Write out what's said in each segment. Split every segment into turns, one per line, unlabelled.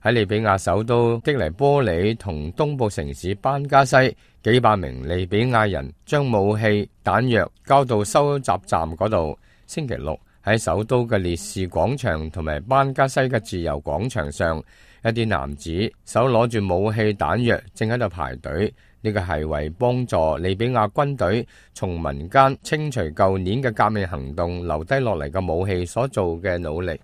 喺利比亞首都擊尼波里同東部城市班加西，幾百名利比亞人將武器彈藥交到收集站嗰度。星期六喺首都嘅烈士廣場同埋班加西嘅自由廣場上，一啲男子手攞住武器彈藥正喺度排隊。呢個係為幫助利比亞軍隊從民間清除舊年嘅革命行動留低落嚟嘅武器所做嘅努力。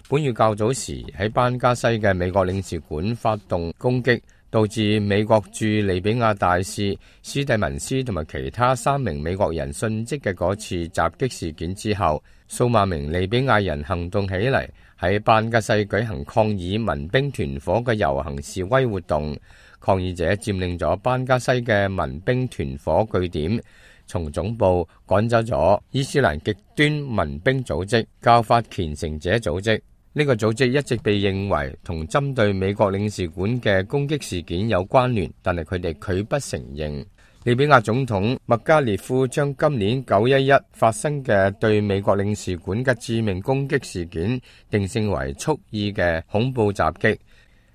本月較早時喺班加西嘅美國領事館發動攻擊，導致美國駐利比亞大使史蒂文斯同埋其他3名美國人殉職嘅嗰次襲擊事件之後，數萬名利比亞人行動起嚟，喺班加西舉行抗議民兵團伙嘅遊行示威活動。抗議者佔領咗班加西嘅民兵團伙據點，從總部趕走咗伊斯蘭極端民兵組織教法虔誠者組織。呢個組織一直被認為同針對美國領事館嘅攻擊事件有關聯，但係佢哋拒不承認。利比亞總統麥加列夫將今年911發生嘅對美國領事館嘅致命攻擊事件定性為蓄意嘅恐怖襲擊。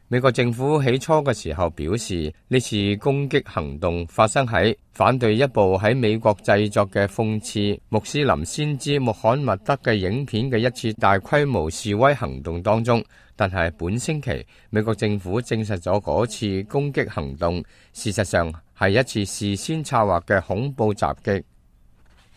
美國政府起初嘅時候表示，呢次攻擊行動發生喺反對一部喺美國製作嘅諷刺穆斯林先知穆罕默德嘅影片嘅一次大規模示威行動當中。但係本星期，美國政府證實咗嗰次攻擊行動事實上係一次事先策劃嘅恐怖襲擊。